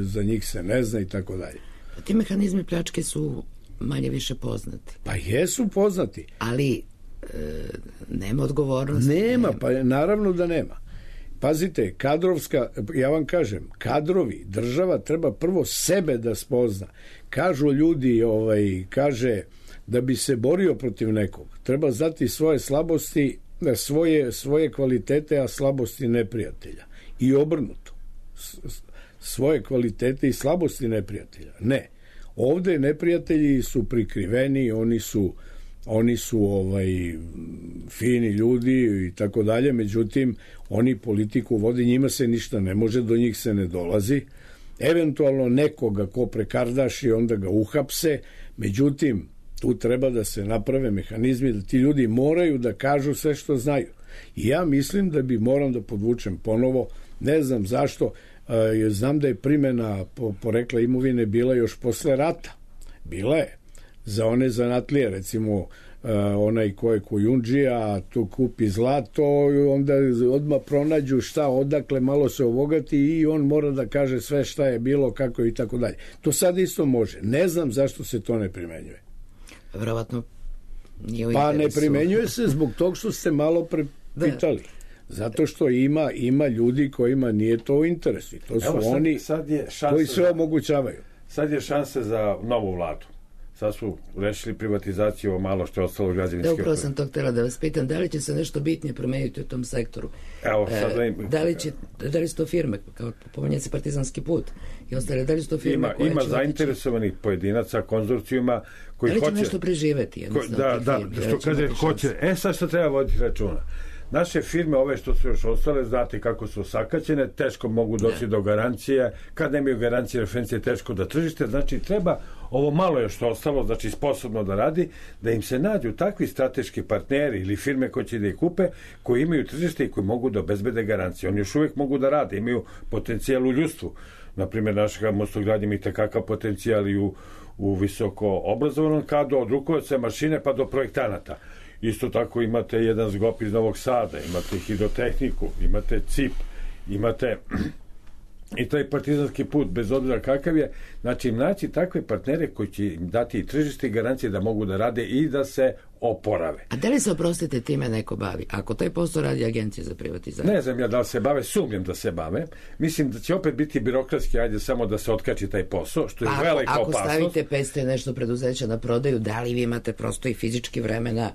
S2: za njih se ne zna i tako dalje.
S4: Ti mehanizmi pljačke su manje više poznati.
S2: Pa jesu poznati.
S4: Ali nema odgovornosti.
S2: Nema, pa naravno da nema. Pazite, ja vam kažem, kadrovi, država treba prvo sebe da spozna. Kažu ljudi, kaže, da bi se borio protiv nekog, treba znati svoje slabosti, svoje kvalitete, a slabosti neprijatelja. I obrnuto. Svoje kvalitete i slabosti neprijatelja. Ne. Ovde neprijatelji su prikriveni, oni su fini ljudi i tako dalje, međutim oni politiku vode, njima se ništa ne može, do njih se ne dolazi, eventualno nekoga ko prekardaši, onda ga uhapse, međutim tu treba da se naprave mehanizmi da ti ljudi moraju da kažu sve što znaju. I ja mislim da moram da podvučem ponovo, ne znam zašto, znam da je primena porekla imovine bila još posle rata. Bila je. Za one zanatlije, recimo onaj ko je kojundžija, tu kupi zlato, onda odmah pronađu odakle malo se obogati i on mora da kaže sve šta je bilo, kako i tako dalje. To sad isto može. Ne znam zašto se to ne primenjuje.
S4: Verovatno nije u
S2: interesu.
S4: Pa
S2: ne primenjuje se zbog tog što ste malo pitali. Zato što ima ljudi kojima nije to u interesu. To su oni koji sve omogućavaju.
S5: Sad je šansa za novu vladu. Sad su rešili privatizaciju, ovo malo što je ostalo građevinske.
S4: Upravo sam to htjela da vas pitam, da li će se nešto bitnije promeniti u tom sektoru?
S5: Evo,
S4: da li su to firme, kao pomenje se Partizanski put i ostale, da li su to firme koje
S5: ima zainteresovanih pojedinaca, konzorcijuma koji hoće...
S4: Da li će nešto preživeti?
S5: Što kaže, hoće. Sad što treba voditi računa. Naše firme, ove što su još ostale, znate kako su sakaćene, teško mogu doći do garancije, kad nemaju garancije referencije, teško da tržište, znači treba ovo malo još što ostalo, znači sposobno da radi, da im se nađu takvi strateški partneri ili firme koje će da ih kupe, koji imaju tržište i koji mogu da obezbede garancije. Oni još uvijek mogu da rade, imaju potencijal u ljudstvu. Naprimjer, našega mostogradnje ima itekakav potencijal i u visoko obrazovanom kadru, od rukovodstva mašine pa do projektanata. Isto tako imate jedan zgop iz Novog Sada, imate hidrotehniku, imate CIP, imate i taj Partizanski put, bez obzira kakav je. Znači, naći takve partnere koji će im dati i tržište i garancije da mogu da rade i da se oporave.
S4: A da li se, oprostite, time neko bavi? Ako taj posao radi Agencija za privatizaciju?
S5: Ne znam ja da li se bave, sumnjam da se bave. Mislim da će opet biti birokratski, ajde samo da se otkači taj posao, što je velika opasnost.
S4: Ako stavite 500 nešto preduzeća na prodaju, da li vi imate prosto i fizički vremena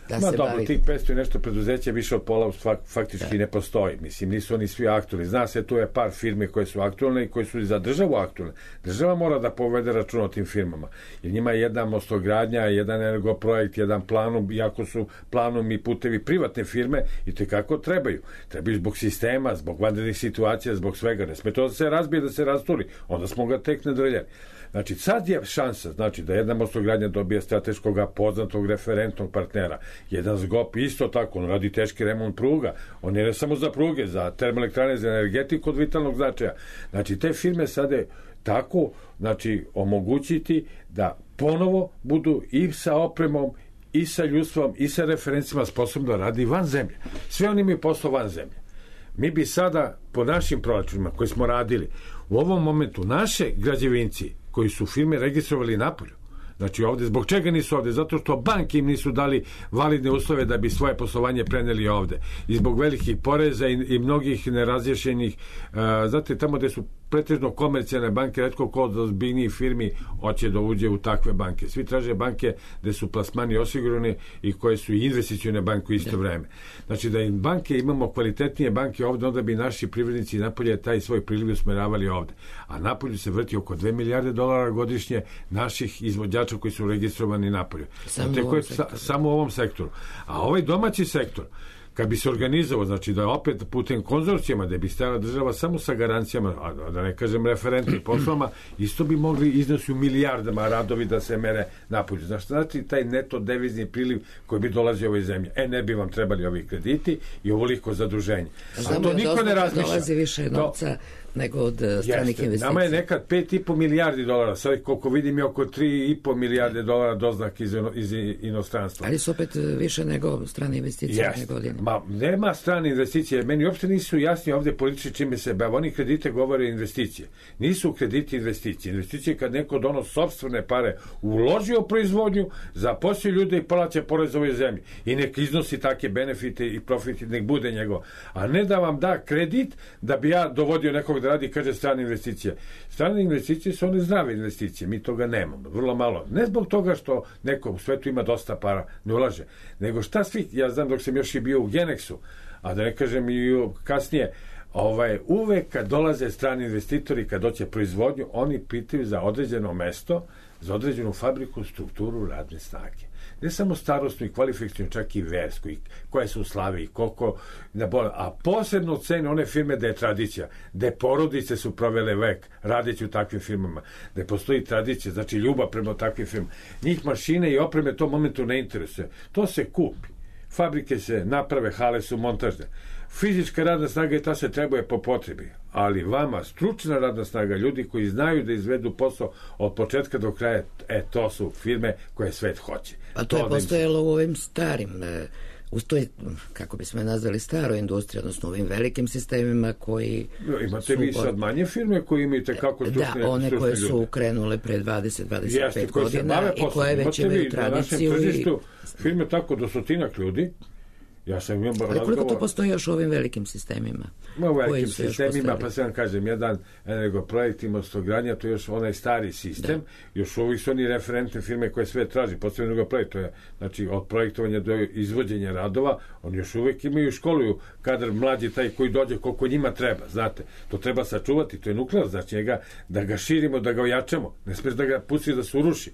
S4: da se bavite?
S5: Tih 500 i nešto preduzeća više od pola faktički ne postoji. Mislim, nisu oni svi aktualni. Zna se, tu je par firme koje su aktualne i koje su za državu aktualne. Država mora da povede račun o tim firmama. Jer njima je jedna mostogradnja, jedan energoprojekt, jedan planum, iako su planum i putevi privatne firme, i tekako trebaju. Trebaju zbog sistema, zbog vanrednih situacija, zbog svega. Ne sme to da se razbije, da se rasturi. Onda smo ga tek nadreljali. Znači, sad je šansa, znači, da jedna mostogradnja dobije strateškog, poznatog, referentnog partnera. Jedan zgop isto tako, on radi teški remont pruga. On je ne samo za pruge, za termoelektrane, za energetiku od vitalnog značaja. Znači, te firme sada tako, znači, omogućiti da ponovo budu i sa opremom, i sa ljudstvom, i sa referencima sposobno da radi van zemlje. Sve oni imaju posao van zemlje. Mi bi sada, po našim proračunima koji smo radili, u ovom momentu naše građevinci koji su firme registrovali napolju, znači ovde, zbog čega nisu ovde? Zato što banke im nisu dali validne uslove da bi svoje poslovanje preneli ovde. I zbog velikih poreza i mnogih nerazješenih, znate, tamo gde su pretežno komercijalne banke, retko ko od ozbiljnijih firmi hoće da uđe u takve banke. Svi traže banke gde su plasmani osigurani i koje su i investicione banke u isto vreme. Znači da im banke, imamo kvalitetnije banke ovde, onda bi naši privrednici napolje taj svoj priliv usmeravali ovde. A napolju se vrti oko 2 milijarde dolara godišnje naših izvođača koji su registrovani napolju. Samo u ovom sektoru. A ovaj domaći sektor, kad bi se organizovao, znači da opet putem konzorcijama, da bi stajala država samo sa garancijama, a da ne kažem referentnim poslovama, isto bi mogli iznosi u milijardama radovi da se mere napolju. Znači, taj neto devizni priliv koji bi dolazio u ovoj zemlji. Ne bi vam trebali ovi krediti i ovoliko zaduženje.
S4: A to niko ne razmišlja. Dolazi više novca nego od stranih investicija.
S5: Nama je nekad 5,5 milijardi dolara, sad koliko vidim je oko 3,5 milijarde dolara doznak iz inostranstva.
S4: Ali su opet više nego strane investicije ove godine.
S5: Nema strane investicije, meni uopšte nisu jasni ovde politički čime se bave. Oni kredite govore investicije. Nisu krediti investicije. Investicije kad neko donosi sopstvene pare, uloži u proizvodnju, zaposli ljude i plaća porez ovoj zemlji. I nek iznosi take benefite i profite, nek bude njegov. A ne da vam da kredit da bi ja dovodio nekog da radi, kaže strane investicije. Strane investicije su one zdrave investicije. Mi toga nemamo. Vrlo malo. Ne zbog toga što neko u svetu ima dosta para, ne ulaže. Nego šta svi, ja znam dok sam još i bio u Genexu, a da ne kažem i kasnije, uvek kad dolaze strani investitori, kad doće proizvodnju, oni pitaju za određeno mesto, za određenu fabriku, strukturu radne snage. Ne samo starostnu i kvalifikacijnu, čak i versku, koje su u slavi i koliko, a posebno cene one firme da je tradicija, da porodice su provele vek radeći u takvim firmama, da postoji tradicija, znači ljubav prema takvim firmama. Njih mašine i opreme to momentu ne interesuje. To se kupi. Fabrike se naprave, hale su montažne. Fizička radna snaga i ta se trebuje po potrebi, ali vama stručna radna snaga, ljudi koji znaju da izvedu posao od početka do kraja, to su firme koje svet hoće.
S4: Pa to je postojalo u ovim starim, u toj, kako bismo je nazvali, staroj industriji, odnosno u ovim velikim sistemima koji...
S5: Imate vi sad manje firme koji imaju tekako stručne ljude.
S4: Da, one koje su krenule pre 20-25 godina i koje već imaju tradiciju.
S5: Na tržištu firme tako do stotinak ljudi.
S4: Ali koliko to postoji još u ovim velikim sistemima?
S5: U velikim sistemima, pa se vam kažem, jedan Energoprojekt i Mostogradnja, to je još onaj stari sistem, još uvijek su oni referentne firme koje sve traži, posebno Energoprojekt, to je, znači, od projektovanja do izvođenja radova, oni još uvijek imaju školuju kadar mlađi taj koji dođe koliko njima treba, znate, to treba sačuvati, to je nuklear, znači njega, da ga širimo, da ga ojačamo, ne smiješ da ga pusti da se uruši.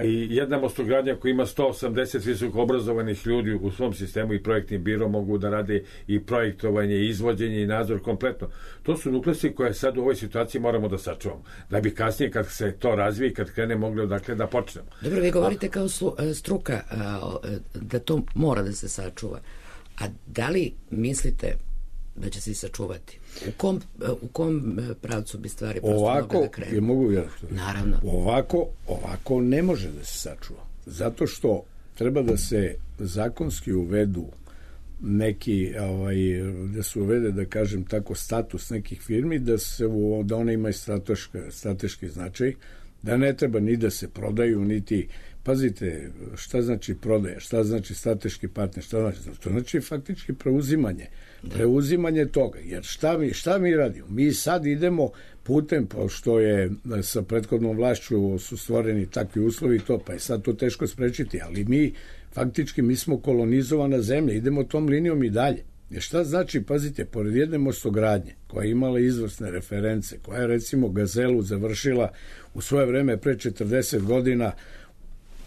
S5: I jedna Mostogradnja koja ima 180 visoko obrazovanih ljudi u svom sistemu i projektnim biro mogu da rade i projektovanje, i izvođenje i nadzor kompletno. To su nukleusi koje sad u ovoj situaciji moramo da sačuvamo. Da bi kasnije kad se to razvije i kad krene mogli odakle da počnemo.
S4: Dobro, vi govorite kao struka da to mora da se sačuva. A da li mislite da će se i sačuvati? U kom pravcu bi stvari prosto mogle da krenu?
S2: Mogu ja?
S4: Naravno.
S2: Ovako ne može da se sačuva. Zato što treba da se zakonski uvedu neki, da se uvede, da kažem tako, status nekih firmi, da one imaju strateški značaj, da ne treba ni da se prodaju, niti... Pazite, šta znači prodaja, šta znači strateški partner, šta znači? To znači faktički preuzimanje toga. Jer šta mi radimo? Mi sad idemo putem, pošto je sa prethodnom vlašću su stvoreni takvi uslovi, pa je sad to teško sprečiti, ali mi smo kolonizovana zemlja, idemo tom linijom i dalje. Jer šta znači, pazite, pored jedne Mostogradnje, koja je imala izvrsne reference, koja je recimo Gazelu završila u svoje vreme pre 40 godina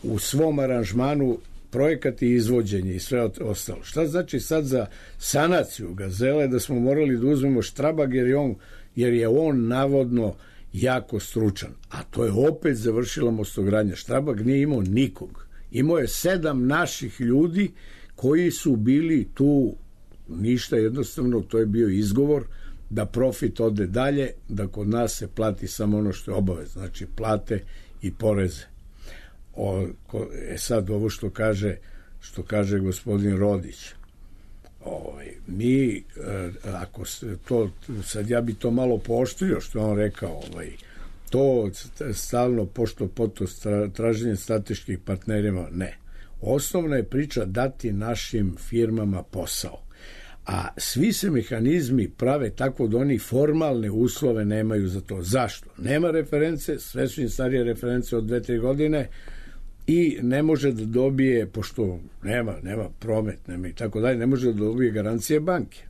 S2: u svom aranžmanu projekat i izvođenje i sve ostalo. Šta znači sad za sanaciju Gazele da smo morali da uzmemo Štrabag jer je on navodno jako stručan. A to je opet završila Mostogradnja. Štrabag nije imao nikog. Imao je 7 naših ljudi koji su bili tu ništa, jednostavno to je bio izgovor da profit ode dalje, da kod nas se plati samo ono što je obavez, znači plate i poreze. Sad ovo što kaže gospodin Rodić, mi ako to sad ja bi to malo pooštrio što on rekao, to stalno pošto traženje strateških partnerima, ne. Osnovna je priča dati našim firmama posao, A svi se mehanizmi prave tako da oni formalne uslove nemaju za to. Zašto? Nema reference, sve su im starije reference od 2-3 godine i ne može da dobije, pošto nema promet, nema i tako dalje, ne može da dobije garancije banke.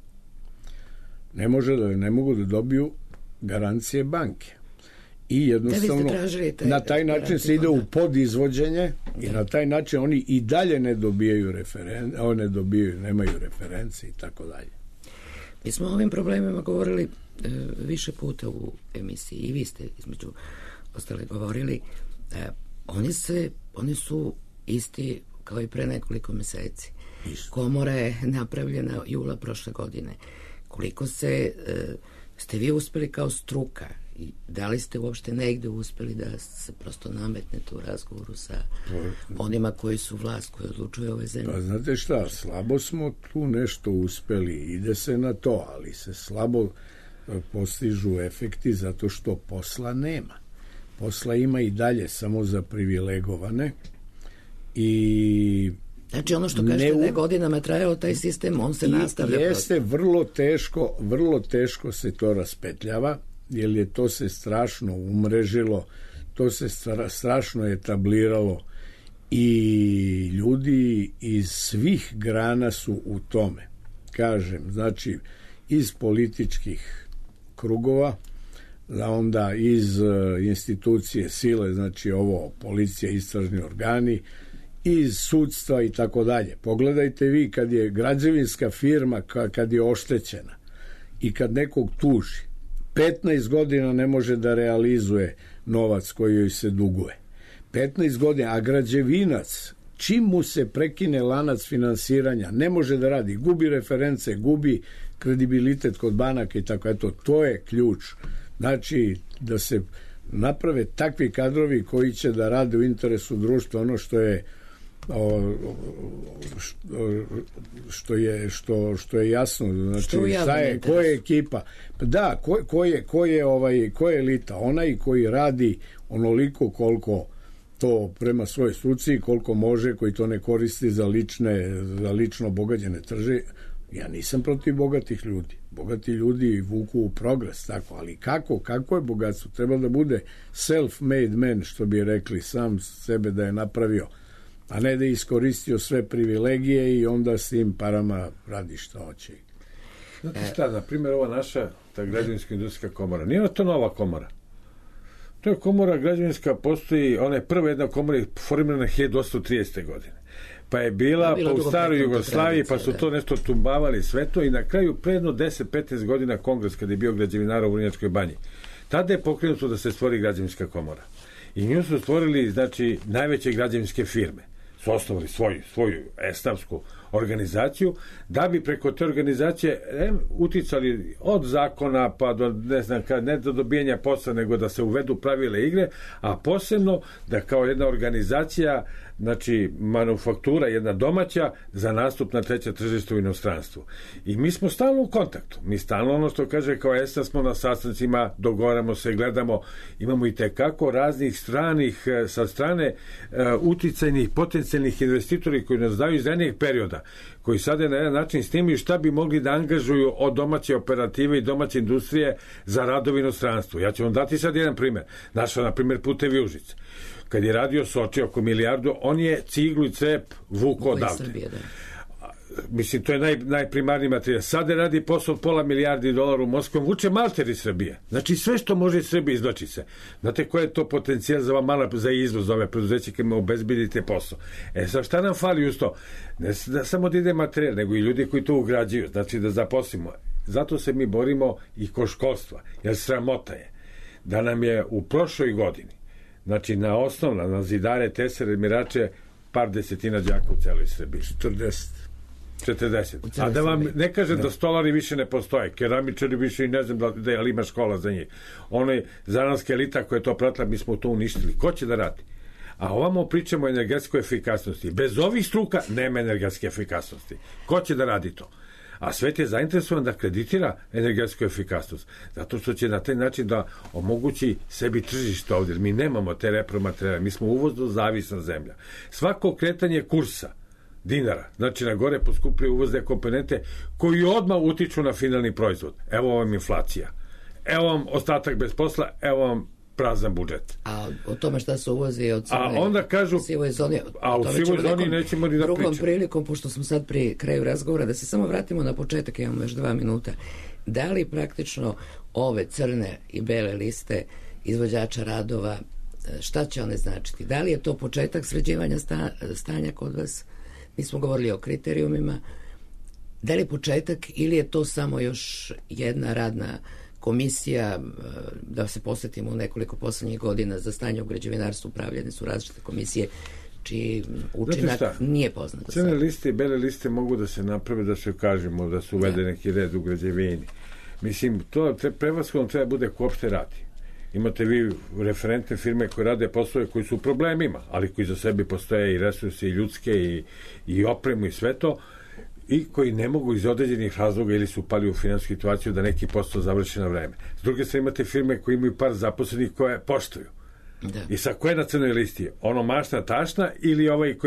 S2: Ne mogu da dobiju garancije banke. I jednostavno na taj način se ide u podizvođenje i na taj način oni i dalje ne dobijaju nemaju reference i tako dalje.
S4: Mi smo o ovim problemima govorili više puta u emisiji i vi ste između ostale govorili. Oni su isti kao i pre nekoliko meseci. Komora je napravljena jula prošle godine. Koliko ste vi uspeli kao struka i da li ste uopšte negde uspeli da se prosto nametnete u razgovoru sa onima koji su vlast, koji odlučuju ove zemlje?
S2: Pa znate šta, slabo smo tu nešto uspeli, ide se na to, ali se slabo postižu efekti zato što posla nema. Posla ima i dalje samo za privilegovane i
S4: znači ono što kažete da je godinama trajao taj sistem, on se nastavlja.
S2: Jeste, vrlo teško se to raspetljava, jer je to se strašno umrežilo, to se strašno etabliralo i ljudi iz svih grana su u tome. Kažem, znači iz političkih krugova, onda iz institucije sile, znači ovo policija, istražni organi, iz sudstva i tako dalje. Pogledajte vi kad je građevinska firma kad je oštećena i kad nekog tuži 15 godina ne može da realizuje novac koji joj se duguje. 15 godina, a građevinac čim mu se prekine lanac finansiranja ne može da radi, gubi reference, gubi kredibilitet kod banaka i tako. Eto, to je ključ. Znači da se naprave takvi kadrovi koji će da rade u interesu društva, ono što je što je jasno, znači ko je ekipa, da, ko je elita, onaj koji radi onoliko koliko to prema svojoj struci, koliko može, koji to ne koristi za lično bogaćene trže. Ja nisam protiv bogatih ljudi. Bogati ljudi vuku u progres, tako, ali kako je bogatstvo? Treba da bude self-made man, što bi rekli, sam sebe da je napravio, a ne da je iskoristio sve privilegije i onda s tim parama radi što hoće.
S5: Znate šta, na primjer, ova naša ta građevinska industrijska komora, nije to nova komora. To je komora građevinska, postoji, ona je prva jedna komora formirana 1830. godine. Pa je bila pa u staroj Jugoslaviji, pa su to nešto tumbavali sve to i na kraju predno 10-15 godina kongres kada je bio građevinara u Vrnjačkoj banji. Tada je pokrenuto da se stvori građevinska komora. I nju su stvorili, znači, najveće građevinske firme. Su osnovali svoju estavsku organizaciju, da bi preko te organizacije uticali od zakona pa do, ne do dobijanja posla, nego da se uvedu pravile igre, a posebno da kao jedna organizacija, znači manufaktura, jedna domaća, za nastup na treće tržište u inostranstvu. I mi smo stalno u kontaktu. Mi stalno, ono što kaže, kao ESTA smo na sastancima, dogovaramo se, gledamo, imamo i tekako raznih stranih, sa strane uticajnih, potencijalnih investitori koji nas daju iz jednih perioda, koji sada na jedan način snimaju šta bi mogli da angažuju od domaće operative i domaće industrije za radovi inostranstvu. Ja ću vam dati sad jedan primer. Naša, na primjer, Putevi Užice. Kad je radio Soči oko milijardu, on je ciglu i crep vuko odavde. Mislim, to je najprimarniji materijal. Sada radi posao od $500 milijardi u Moskvom, vuče malter iz Srbije. Znači, sve što može iz Srbije izvlači se. Znate koji je to potencijal za izvoz, za ove preduzeće kad obezbedite posao? Sad šta nam fali uz to? Ne da samo da ide materijal, nego i ljudi koji to ugrađuju, znači da zaposlimo. Zato se mi borimo i kod školstva, jer sramota je da nam je u prošloj godini, znači na zidare, tesere, mirače, par desetina đaka u celoj Srbiji. 40. A da vam ne kažem da stolari više ne postoje, keramičari više i ne znam da je, ali ima škola za njih. Ona zanatska elita koja je to pratila, mi smo to uništili. Ko će da radi? A ovamo pričamo o energetskoj efikasnosti. Bez ovih struka nema energetske efikasnosti. Ko će da radi to? A svet je zainteresovan da kreditira energetsku efikasnost, zato što će na taj način da omogući sebi tržište ovdje. Mi nemamo te repromaterijale, mi smo uvozno zavisna zemlja. Svako kretanje kursa dinara. Znači, na gore poskupljaju uvozne komponente koji odmah utiču na finalni proizvod. Evo vam inflacija. Evo vam ostatak bez posla, evo vam prazan budžet.
S4: A o tome šta se uvozi od
S5: a onda kažu
S4: sivoj zoni,
S5: a u sivoj zoni nećemo ni da pričamo.
S4: Drugom prilikom, pošto smo sad pri kraju razgovora, da se samo vratimo na početak, imamo još 2 minuta. Da li praktično ove crne i bele liste izvođača radova, šta će one značiti? Da li je to početak sređivanja stanja kod vas? Mi smo govorili o kriterijumima. Da li je početak ili je to samo još jedna radna komisija, da se posjetimo u nekoliko poslednjih godina za stanje u građevinarstvu, upravljene su različite komisije čiji učinak nije poznat.
S5: Crne liste i bele liste mogu da se naprave, da se kažemo da su uvede neki red u građevini. Mislim, to prevashodno treba bude ko opšte radi. Imate vi referentne firme koje rade poslove koji su u problemima, ali koji za sebe postoje i resursi i ljudske i opremu i sve to, i koji ne mogu iz određenih razloga ili su upali u finansijsku situaciju da neki posao završi na vreme. S druge strane imate firme koje imaju par zaposlenih koje poštuju. Da. I sa koje na crnoj listi? Ono mašna tašna ili ovaj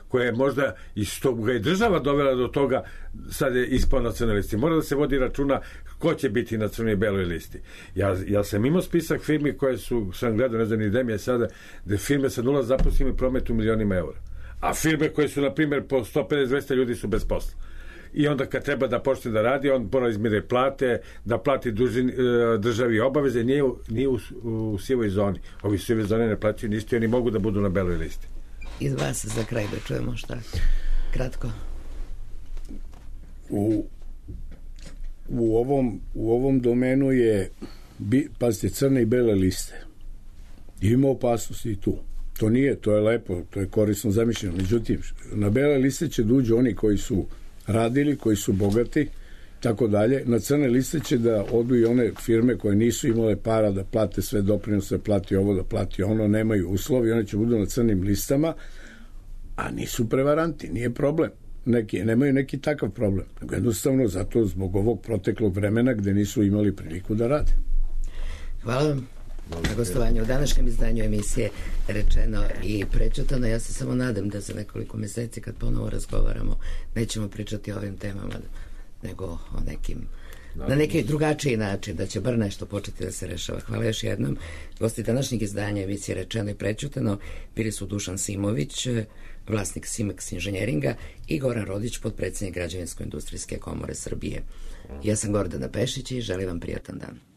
S5: koje je možda i što ga je država dovela do toga sad je ispao na crnoj listi. Mora da se vodi računa ko će biti na crnoj i beloj listi. Ja sam imao spisak firmi koje sam gledao, ne znam ni gde mi je sada, da firme sa 0 zaposlenih prometu milionima eura. A firme koje su, na primjer, po 150-200 ljudi su bez posla. I onda kad treba da počne da radi, on mora izmire plate, da plati državi obaveze, nije u sivoj zoni. Ovi sive zone ne plaćaju ništa i oni mogu da budu na beloj listi.
S4: Iz vas za kraj da čujemo šta? Kratko.
S2: U ovom domenu je, pazite, crne i bele liste. Ima opasnosti i tu. To je lepo, to je korisno zamišljeno. Međutim, na bele liste će da uđu oni koji su radili, koji su bogati, tako dalje. Na crne liste će da odu i one firme koje nisu imale para da plate sve doprinose, da plati ovo, da plati ono, nemaju uslovi, one će budu na crnim listama, a nisu prevaranti, nije problem. Nemaju neki takav problem. Jednostavno zato zbog ovog proteklog vremena gde nisu imali priliku da rade.
S4: Hvala vam na gostovanju u današnjem izdanju emisije Rečeno i prećutano. Ja se samo nadam da za nekoliko meseci kad ponovo razgovaramo nećemo pričati o ovim temama nego o nekim na neki drugačiji način, da će bar nešto početi da se rešava. Hvala još jednom. Gosti današnjeg izdanja emisije Rečeno i prećutano bili su Dušan Simović, vlasnik Simex inženjeringa, i Goran Rodić, potpredsednik Građevinsko-industrijske komore Srbije. Ja sam Gordana Pešić i želim vam prijatan dan.